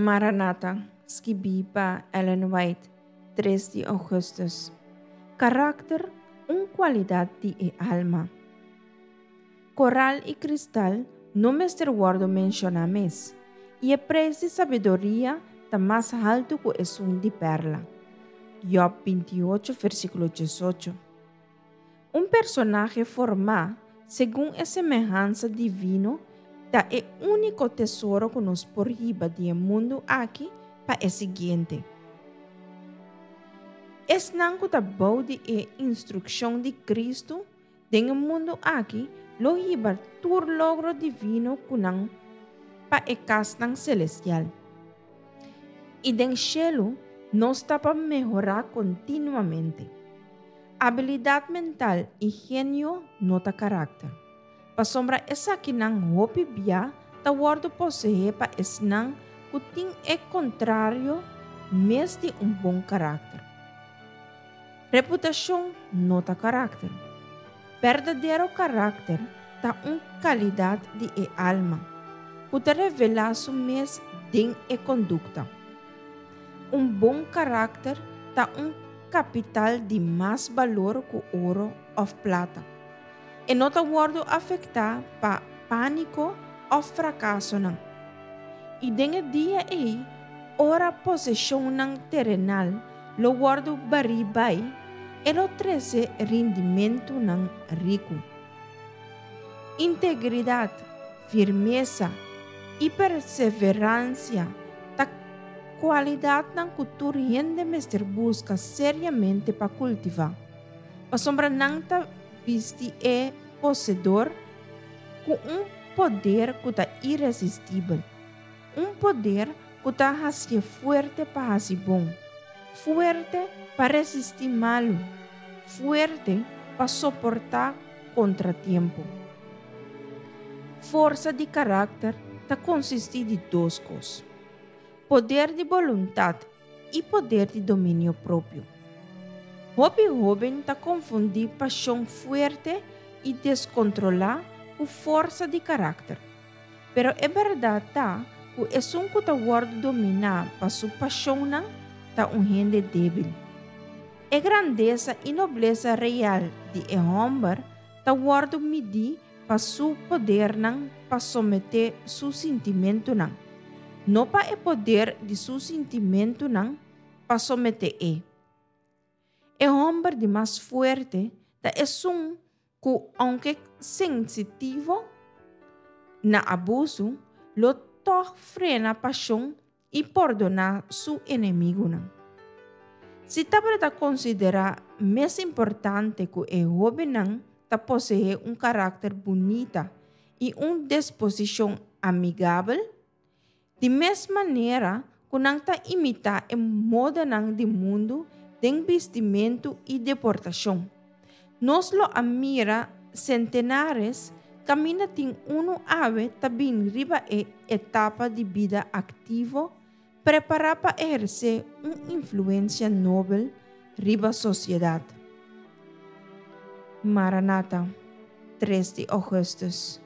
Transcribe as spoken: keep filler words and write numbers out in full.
Maranata, skibí pa Ellen White, tres di ougùstùs. Karakter, un kualidat di e alma. Koral i kristal no mester wòrdu menshoná mes, i e preis di sabiduria ta mas haltu ku esun di pèrla. Job binti ocho, versíkulo diesocho. Un personahe formá segun e semehansa divino ta e úniko tesoro ku nos por hiba di e mundu aki pa e siguiente. Esnan ku ta bou di e instrukshon di Kristu den e mundu aki lo hiba tur logro divino ku nan pa e kasnan selestial. I den shelu nos ta pa mehorá kontinuamente. Abilidat mental i genio no ta karakter, pasobra esakinan hopi bia ta wòrdu poseé pa esnan ku tin e kontrario mes di un bon karakter. Reputashon no ta karakter. Berdadero karakter ta un kalidat di e alma, ku ta revelá su mes den e kondukta. Un bon karakter ta un kapital di mas balor ku oro òf plata. E no ta wòrdu afektá pa pániko òf frakasonan. I den e dia ei, ora poseshonnan terenal lo wòrdu barí bai, e lo trese rindimentunan riku. Integridat, firmesa i perseveransia ta kualidatnan ku tur hende mester buska seriamente pa kultivá, pasobra nan ta bisti e poseedor ku un poder ku ta iresistibel, un poder ku ta hasié fuerte pa hasi bon, fuerte pa resistí malu, fuerte pa soportá kontratiempo. Forsa di karakter ta konsistí di dos kos, poder di boluntat i poder di dominio propio. Hopi hóben ta konfundí pashon fuerte i deskontrolá ku forsa di karakter. Pero e bèrdat ta ku esun ku ta wòrdu dominá pa su pashonnan ta un hende débil. E grandesa i noblesa real di e hòmber ta wòrdu midí pa su podernan pa someté su sintimentunan, no pa e poder di su sintimentunan pa someté e. E hòmber di mas fuerte ta esun ku, ounke sensitivo na abusu, lo tòg frena pashon i pordoná su enemigunan. Si tabata konsiderá mes importante ku e hóbennan ta poseé un karakter bunita i un disposishon amigabel, di mes manera ku nan ta imitá e modanan di mundu den bistimentu i deportashon, nos lo a mira sentenares kaminda tin unu awe ta bin riba e etapa di bida aktivo prepará pa ehersé un influensia nobel riba sosiedat. Maranata, tres di ougùstùs.